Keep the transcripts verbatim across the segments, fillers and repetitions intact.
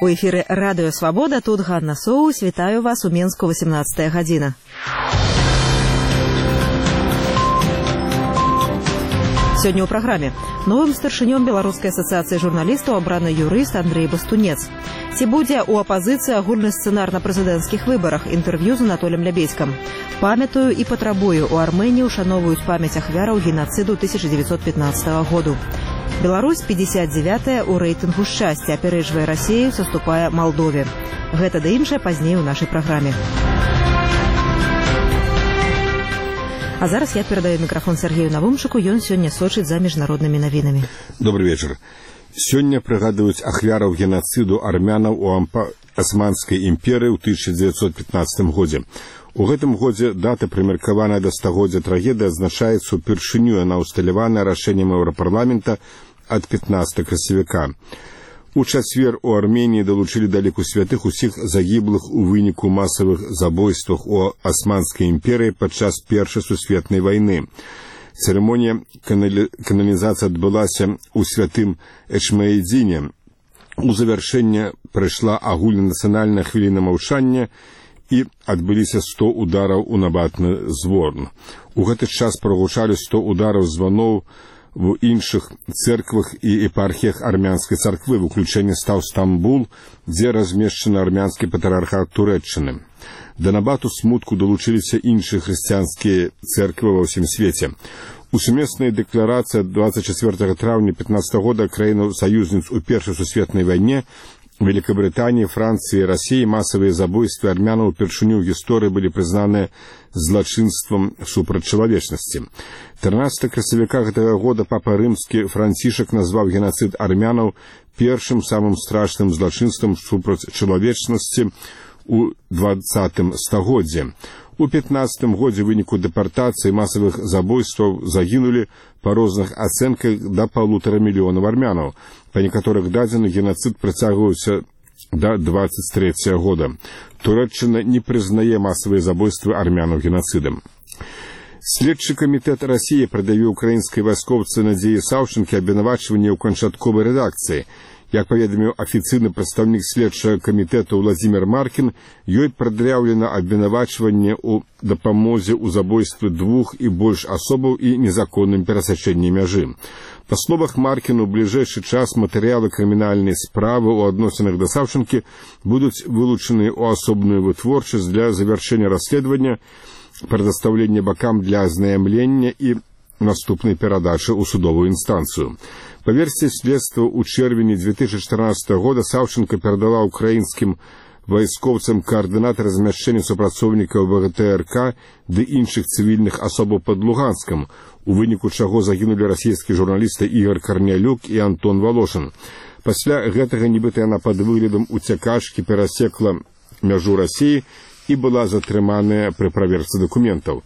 У эфіры радыё Свабода, тут Ганна Соус. Вітаю вас у Менску, восемнадцатая гадзіна. Сёння ў праграме. Новым старшынём Беларускай асацыяцыі журналістаў абраны юрыст Андрэй Бастунец. Ці будзе ў апазіцыі агульны сцэнар на прэзідэнцкіх выбарах? Інтэрв'ю з Анатолем Лябедзькам. Памятаю і патрабую. У Арменіі ушаноўваюць памяць ахвяраў генацыду тысяча дзевяцьсот пятнаццатага году. Беларусь пятьдесят девятая ў рэйтынгу шчасця, апярэджвае Расею, саступае Малдове. Гэта да іншае пазней у нашай праграме. А зараз я перадаю мікрафон Сергею Навумчыку, ён сёння сочыць за міжнароднымі навінамі. Добрый вечар. Сёння прыгадваюць ахвяраў генацыду армянаў у Османскай імперыі ў тысяча дзевяцьсот пятнаццатым годзе. У гэтым годзе дата, прымеркаваная да стагоддзя трагедыі, адзначаецца ўпершыню на усталяваная рашэннем Еўрапарламента ад пятнаццатага красавіка. У чацвер у Арменіі далучылі да ліку святых усіх загіблых у выніку масавых забойствах у Османскай імперыі падчас Першай сусветнай вайны. Цырымонія кананізацыі адбылася ў святым Эчмаэдзіне. У завяршэнне прайшла агульнанацыянальная хвіліна маўчання і адбыліся сто удараў у набатны звон. У гэты час прагучалі сто удараў званоў в іншых церквах і епархіях армянскай царквы, выключэнне стаў Стамбул, дзе размешчаны армянскі патрыархат Турэччыны. Да набату смутку далучыліся іншыя хрысціянскія церквы ва ўсім свеце. У сумеснай дэкларацыі двадцать четвёртага траўня пятнаццатага года краінаў-саюзніц у Першай сусветнай вайне Великобритании, Франции и России массовые забойства армянаў упершыню ў гісторыі былі прызнаныя злачынствам супраць чалавечнасці. трынаццатага красавіка гэтага года папа рымскі Францішак назваў генацыд армянаў першым самым страшным злачынствам супраць чалавечнасці ў двадцатым стагоддзі. У пятнаццатым годзе ў выніку дэпартацыі масавых забойстваў загінулі па розных ацэнках да паўтара мільёнаў армянаў. Па некаторых дадзеных генацыд працягваўся да двадцать третьего года. Турэччына не прызнае масавыя забойствы армянаў генацыдам. Следчы камітэт Расіі прадавіў украінскай вайскоўцы Надзеі Саўчынкі абвінавачванне ў канчатковай рэдакцыі. Як паведаміў афіцыйны прадстаўнік следчага камітэту Владзімір Маркін, ёй прад'яўлена абвінавачванне ў дапамозе ў забойстве двух і больш асобаў і незаконным перасячэнні мяжы. Па словах Маркіну, у бліжэйшы час матэрыялы крымінальнай справы ў адносінах да Саўчынкі будуць вылучаны ў асобную вытворчасць для завяршэння расследавання, прадастаўлення бакам для азнаямлення і наступнай перадачы ў судовую інстанцыю. Па версіі следства, у чэрвені две тысячи чатырнаццатага года Саўчынка перадала украінскім вайскоўцам каардынаты размяшчэння супрацоўнікаў ВГТРК ды іншых цывільных асобаў пад Луганскам, у выніку чаго загінулі расійскія журналісты Ігор Карнялюк і Антон Волошин. Пасля гэтага нібыта яна пад выглядам уцякачкі перасекла мяжу Расіі і была затрыманая пры праверцы дакументаў.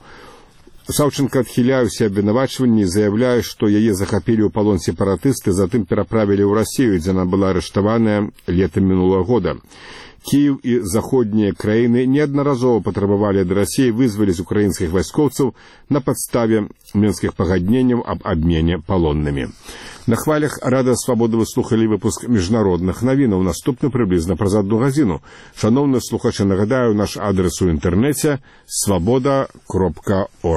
Саўчынка адхіляе ўсе абвінавачванні і заяўляе, што яе захапілі ў палон сепаратысты, затым пераправілі ў Расію, дзе яна была арыштаваная летам мінулага года. Кіеў і заходнія краіны неаднаразова патрабавалі ад Расіі вызваліць украінскіх вайскоўцаў на падставе мінскіх пагадненняў аб абмене палоннымі. На хвалях Радыё Свабода вы слухалі выпуск міжнародных навінаў. Наступны прыблізна праз адну гадзіну. Шаноўныя слухачы, нагадаю, наш адрес у інтэрнэце свабода кропка орг.